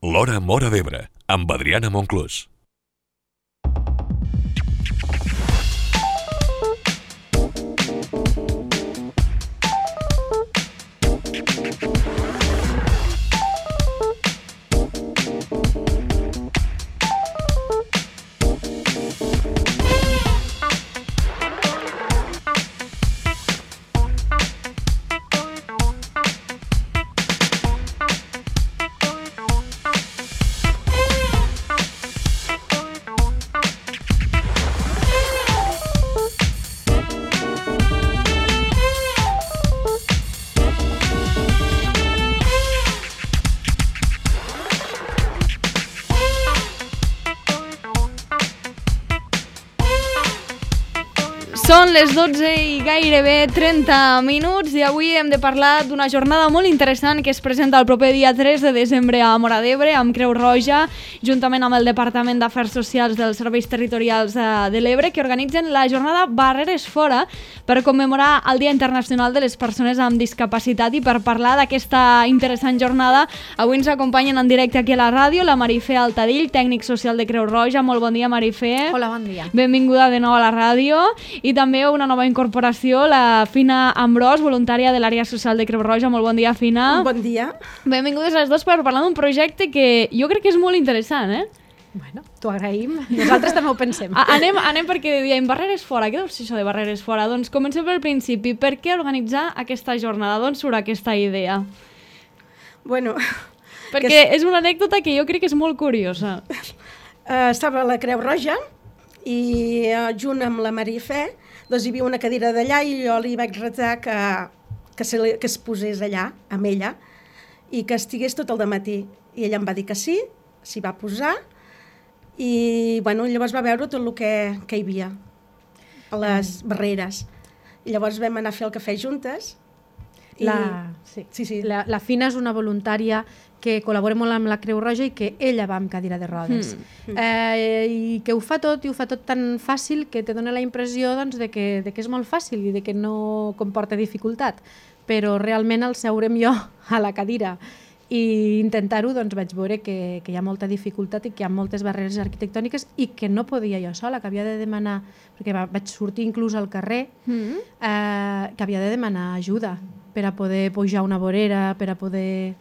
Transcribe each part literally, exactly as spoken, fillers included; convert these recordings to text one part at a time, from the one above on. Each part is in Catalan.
L'Hora Móra d'Ebre, amb Adriana Monclús. Són les dotze i gairebé trenta minuts i avui hem de parlar d'una jornada molt interessant que es presenta el proper dia tres de desembre a Móra d'Ebre amb Creu Roja, juntament amb el Departament d'Afers Socials dels Serveis Territorials de l'Ebre, que organitzen la jornada Barreres Fora per commemorar el Dia Internacional de les Persones amb Discapacitat. I per parlar d'aquesta interessant jornada, avui ens acompanyen en directe aquí a la ràdio la Marifé Altadill, tècnic social de Creu Roja. Molt bon dia, Marifé. Hola, bon dia. Benvinguda de nou a la ràdio. I també una nova incorporació, la Fina Ambrós, voluntària de l'àrea social de Creu Roja. Molt bon dia, Fina. Bon dia. Benvingudes les dues per parlar d'un projecte que jo crec que és molt interessant, eh? Bueno, t'ho agraïm. Nosaltres també ho pensem. A anem, anem perquè diem Barreres Fora. Què deu ser això de Barreres Fora? Doncs comencem pel principi. Per què organitzar aquesta jornada? D'on surt aquesta idea? Bueno... Perquè és... és una anècdota que jo crec que és molt curiosa. Uh, estava a la Creu Roja i uh, junt amb la Marifé doncs hi havia una cadira d'allà i jo li vaig retar que, que, se, que es posés allà amb ella i que estigués tot el dematí. I ella em va dir que sí, s'hi va posar i bueno, llavors va veure tot el que, que hi havia a les mm. barreres. I llavors vam anar a fer el cafè juntes. I... La, sí. Sí, sí. La, la Fina és una voluntària que col·labora molt amb la Creu Roja i que ella va amb cadira de rodes. Mm. Eh, I que ho fa tot, i ho fa tot tan fàcil que te dona la impressió doncs, de, que, de que és molt fàcil i de que no comporta dificultat. Però realment al seurem jo a la cadira i intentar-ho, doncs vaig veure que, que hi ha molta dificultat i que hi ha moltes barreres arquitectòniques i que no podia jo sola, que havia de demanar, perquè va, vaig sortir inclús al carrer, mm. eh, que havia de demanar ajuda per a poder pujar una vorera, per a poder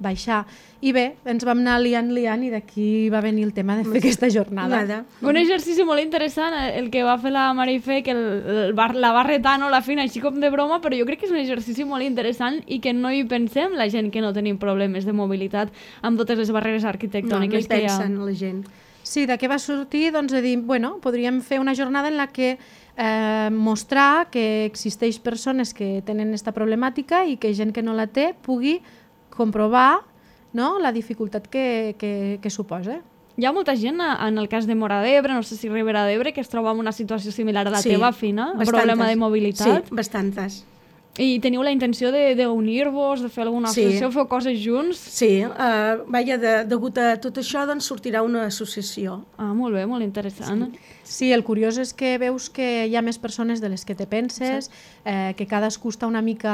baixar. I bé, ens vam anar liant, liant i d'aquí va venir el tema de fer aquesta jornada. Nada. Un exercici molt interessant, el que va fer la Marifé, que el, el bar, la va retar, no, la Fina, així com de broma, però jo crec que és un exercici molt interessant i que no hi pensem la gent que no tenim problemes de mobilitat amb totes les barreres arquitectòniques no, no hi que hi ha. pensen la gent. Sí, de què va sortir? Doncs de dir, bueno, podríem fer una jornada en la que eh, mostrar que existeix persones que tenen aquesta problemàtica i que gent que no la té pugui comprovar, no?, la dificultat que, que, que suposa. Hi ha molta gent, en el cas de Móra d'Ebre, no sé si Ribera d'Ebre, que es troba en una situació similar a la sí, teva, Fina, un bastantes. problema de mobilitat. Sí, bastantes. I teniu la intenció d'unir-vos, de, de fer alguna associació, sí. Feu coses junts? Sí, uh, vaja, de, degut a tot això, doncs sortirà una associació. Ah, molt bé, molt interessant. Sí. Sí, el curiós és que veus que hi ha més persones de les que te penses, sí. eh, que cadascú està una mica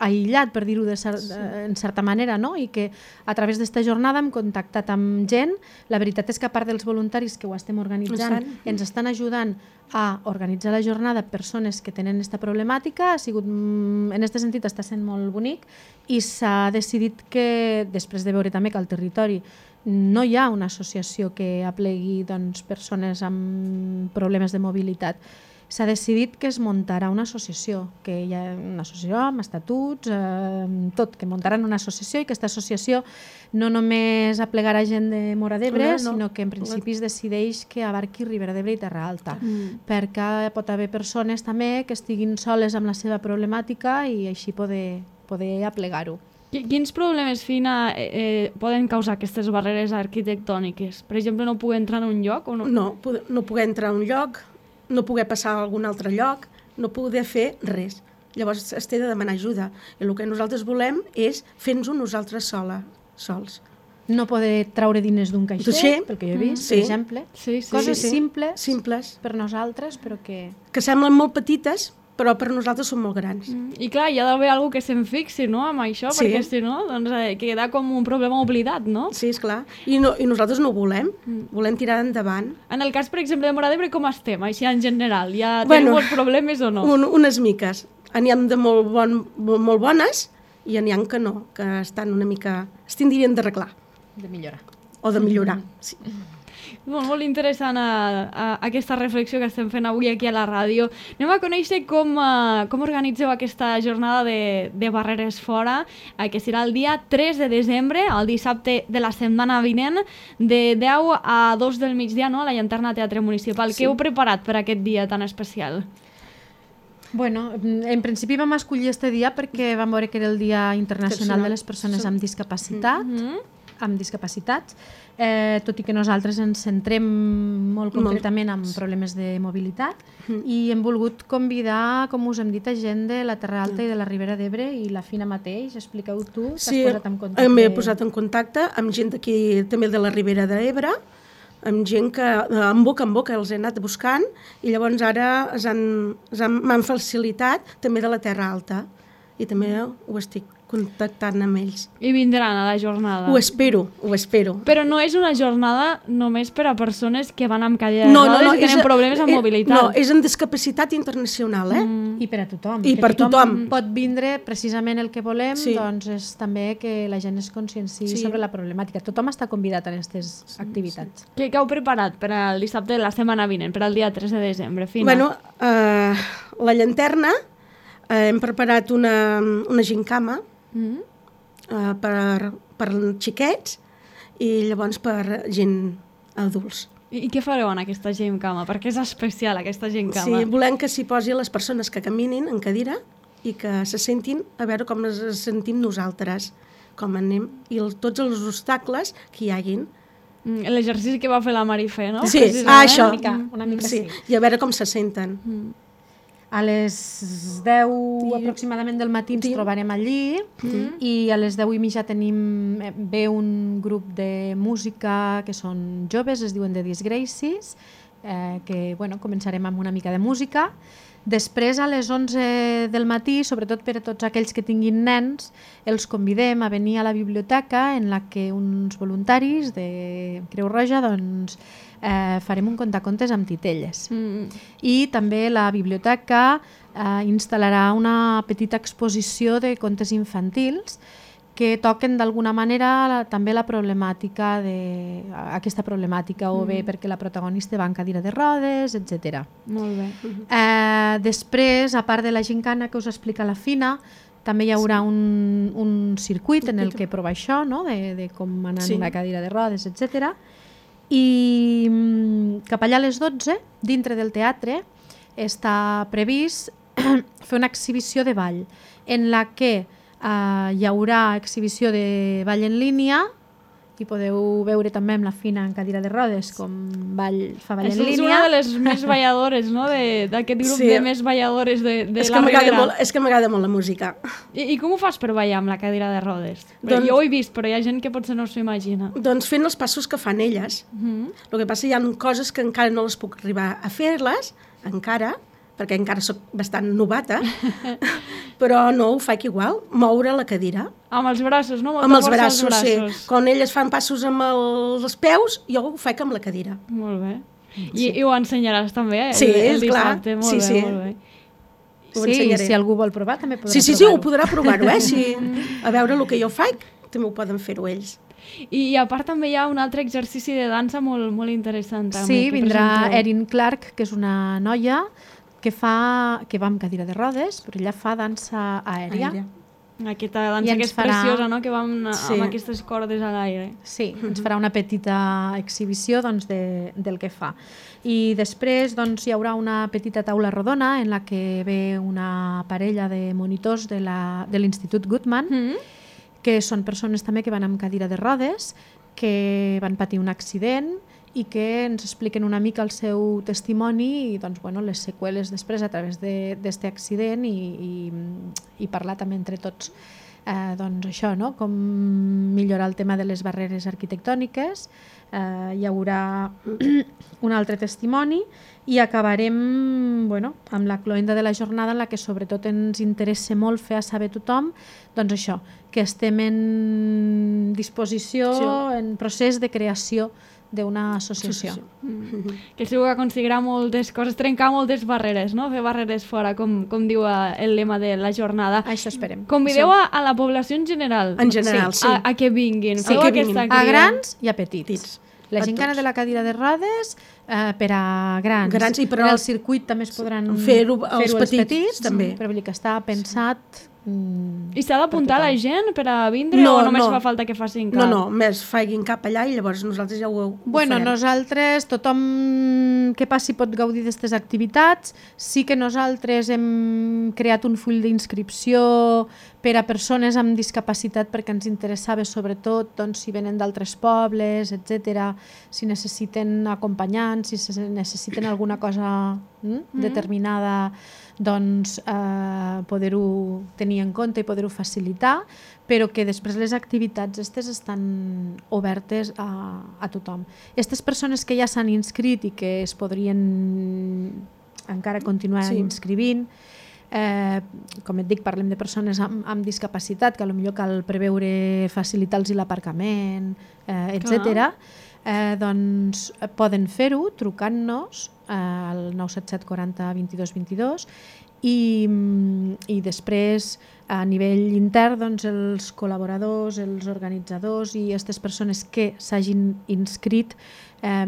aïllat, per dir-ho cer sí. en certa manera, no? I que a través d'esta jornada hem contactat amb gent. La veritat és que a part dels voluntaris que ho estem organitzant, ens estan ajudant a organitzar la jornada persones que tenen aquesta problemàtica. Ha sigut, en aquest sentit està sent molt bonic i s'ha decidit que, després de veure també que al territori no hi ha una associació que aplegui doncs, persones amb problemes de mobilitat, s'ha decidit que es muntarà una associació, que hi ha una associació amb estatuts, eh, tot, que muntaran una associació i que aquesta associació no només aplegarà gent de Móra d'Ebre, no, no. sinó que en principi es decideix que abarqui Ribera d'Ebre i Terra Alta, mm. perquè pot haver persones també que estiguin soles amb la seva problemàtica i així poder, poder aplegar-ho. Quins problemes, Fina, eh, poden causar aquestes barreres arquitectòniques? Per exemple, no poder entrar en un lloc? O no? No, no poder entrar en un lloc, no poder passar a algun altre lloc, no poder fer res. Llavors es té de demanar ajuda. I el que nosaltres volem és fer-nos-ho nosaltres sola, sols. No poder traure diners d'un caixer, sí. pel que jo he vist, sí. per exemple. Sí, sí, Coses sí, sí. simples, simples per nosaltres, però que... Que semblen molt petites, però per nosaltres són molt grans. Mm. I clar, hi ha d'haver algú que se'n fixi, no?, amb això, Sí. perquè si no, doncs eh, queda com un problema oblidat, no? Sí, esclar. I, no, I nosaltres no ho volem. Mm. Volem tirar endavant. En el cas, per exemple, de Móra d'Ebre, com estem, així en general? Ja Bueno, tenim molts problemes o no? Un, unes miques. N'hi ha de molt, bon, molt bones i n'hi ha que no, que estan una mica... es tindrien d'arreglar. De millorar. O de millorar, sí. Molt, molt interessant a, a, aquesta reflexió que estem fent avui aquí a la ràdio. Anem a conèixer com, uh, com organitzeu aquesta jornada de, de Barreres Fora, uh, que serà el dia tres de desembre, el dissabte de la setmana vinent, de deu a dos del migdia, no?, a la Llanterna Teatre Municipal. Sí. Què heu preparat per aquest dia tan especial? Bueno, en principi vam escollir este dia perquè vam veure que era el Dia Internacional de les Persones amb Discapacitat, Mm-hmm. amb discapacitats, eh, tot i que nosaltres ens centrem molt concretament en problemes de mobilitat i hem volgut convidar, com us hem dit, a gent de la Terra Alta i de la Ribera d'Ebre i la Fina mateix. Expliqueu tu, t'has Sí, posat en contacte. m'he posat en contacte amb gent d'aquí, també de la Ribera d'Ebre, amb gent que en boca en boca els he anat buscant i llavors ara es han, es han, m'han facilitat també de la Terra Alta i també ho estic contactant amb ells. I vindran a la jornada. Ho espero, ho espero. Però no és una jornada només per a persones que van amb cadira de rodes i tenen és- problemes amb eh, mobilitat. No, és en discapacitat internacional, eh? I per a tothom. I que per tothom. pot vindre precisament el que volem, Sí. doncs és també que la gent es conscienciï Sí. sobre la problemàtica. Tothom està convidat a aquestes activitats. Què, què heu preparat per al dissabte de la setmana vinent, per al dia tres de desembre? Fina. Bueno, eh, la llanterna, eh, hem preparat una, una gincama Mm? eh, per, per xiquets i llavors per gent adults. I, I què fareu en aquesta gimcama? Perquè és especial aquesta Sí, gimcama. volem que s'hi posi les persones que caminin en cadira i que se sentin a veure com ens sentim nosaltres, com anem, i el, tots els obstacles que hi haguin. Mm, L'exercici que va fer la Marifé, no? Sí, Precisament. ah, això. Una mica, una mica sí. I a veure com se senten. Mm. A les deu aproximadament del matí ens Sí. trobarem allí i a les deu i mitja tenim, eh, ve un grup de música que són joves, es diuen The Disgraces, eh, que bueno, començarem amb una mica de música. Després, a les onze del matí, sobretot per a tots aquells que tinguin nens, els convidem a venir a la biblioteca en la que uns voluntaris de Creu Roja doncs, eh, farem un contacontes amb titelles. Mm. I també la biblioteca eh, instal·larà una petita exposició de contes infantils que toquen d'alguna manera la, també la problemàtica de, aquesta problemàtica, o bé perquè la protagonista va en cadira de rodes, etcètera. Molt bé. Eh, després, a part de la gincana que us explica la Fina, també hi haurà un, un circuit en el que prova això, no? de, de com anar Sí. en una cadira de rodes, etcètera. I mm, cap allà a les dotze, dintre del teatre, està previst fer una exhibició de ball, en la que eh, hi haurà exhibició de ball en línia, i podeu veure també amb la Fina en cadira de rodes com ball, fa ball És en una línia. de les més balladores, no?, De- d'aquest grup Sí. de més balladores de, de És la que m'agrada Ribera. molt, és que m'agrada molt la música. I, I com ho fas per ballar amb la cadira de rodes? Perquè Doncs- jo ho he vist, però hi ha gent que potser no s'ho imagina. Doncs fent els passos que fan elles. Mm. El que passa hi ha coses que encara no les puc arribar a fer-les, encara, perquè encara sóc bastant novata, però no ho faig igual, moure la cadira. Amb els braços, no? Molta Amb els força als braços, sí. braços. Quan elles fan passos amb el, els peus, jo ho faig amb la cadira. Molt bé. I, I ho ensenyaràs també, eh? Sí, el, el esclar. dissabte. Molt Sí, bé, sí. molt bé. Ho Sí, ensenyaré. si algú vol provar també podrà Sí, sí, sí, provar-ho. ho podrà provar-ho, eh? Si, a veure el que jo faig, també ho poden fer-ho ells. I, I a part també hi ha un altre exercici de dansa molt, molt interessant. També, Sí, que vindrà presenteu. Erin Clark, que és una noia que fa que va amb cadira de rodes, però ella fa dansa aèria. Aèria. Aquesta I dansa ens que és farà- preciosa, no?, que va amb, Sí. amb aquestes cordes a l'aire. Sí, ens farà una petita exhibició doncs, de, del que fa. I després doncs, hi haurà una petita taula rodona en la que ve una parella de monitors de la- de l'Institut Goodman, Mm. que són persones també que van amb cadira de rodes, que van patir un accident i que ens expliquen una mica el seu testimoni i doncs, bueno, les seqüeles després a través d'aquest accident i, i, i parlar també entre tots. eh, doncs això, no? Com millorar el tema de les barreres arquitectòniques. Eh, hi haurà un altre testimoni i acabarem bueno, amb la cloenda de la jornada en la que sobretot ens interessa molt fer a saber tothom doncs això, que estem en disposició, sí. en procés de creació d'una associació. Mm. Que segur que aconseguirà moltes coses, trencar moltes barreres, no? Fer barreres fora, com, com diu el lema de la jornada. Això esperem. Convideu a, a la població en general. En general, sí. A, a que vinguin. Sí, que vinguin. A grans i a petits. petits. La gent que de la cadira de rodes eh, per a grans. grans i però en el circuit també es podran fer-ho fer els, els petits, petits també. Però vull dir que està pensat... Mm, I s'ha d'apuntar la gent per a vindre no, o només no. fa falta que facin cap? No, no, més facin cap allà i llavors nosaltres ja ho, ho bueno, farem. nosaltres, tothom que passi pot gaudir d'aquestes activitats. Sí que nosaltres hem creat un full d'inscripció per a persones amb discapacitat perquè ens interessava sobretot doncs, si venen d'altres pobles, etcètera, si necessiten acompanyants, si necessiten alguna cosa mm, mm. determinada, doncs eh, poder-ho tenir en compte i poder-ho facilitar, però que després les activitats aquestes estan obertes a, a tothom. Aquestes persones que ja s'han inscrit i que es podrien encara continuar sí. inscrivint, eh, com et dic, parlem de persones amb, amb discapacitat, que potser cal preveure facilitar-los l'aparcament, eh, etcètera. Eh, doncs poden fer-ho trucant-nos eh, al nou set set quaranta vint-i-dos vint-i-dos i, i després a nivell intern doncs, els col·laboradors, els organitzadors i aquestes persones que s'hagin inscrit eh,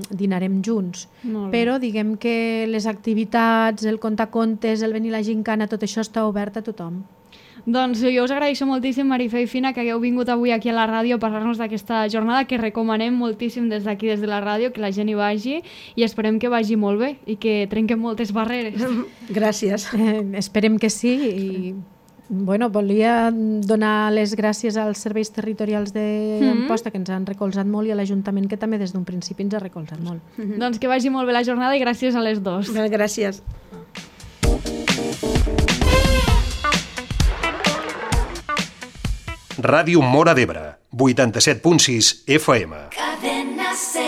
dinarem junts. Però diguem que les activitats, el contacontes, el venir a la gincana, tot això està obert a tothom. Doncs jo us agraeixo moltíssim, Marifé i Fina, que hagueu vingut avui aquí a la ràdio a parlar-nos d'aquesta jornada, que recomanem moltíssim des d'aquí, des de la ràdio, que la gent hi vagi i esperem que vagi molt bé i que trenquem moltes barreres. Gràcies. Eh, esperem que sí i bueno, volia donar les gràcies als serveis territorials d'Amposta, mm-hmm. que ens han recolzat molt, i a l'Ajuntament, que també des d'un principi ens ha recolzat molt. Mm-hmm. Doncs que vagi molt bé la jornada i gràcies a les dos. Bé, gràcies. Ràdio Móra d'Ebre, vuitanta-set punt sis F M. Cadena C.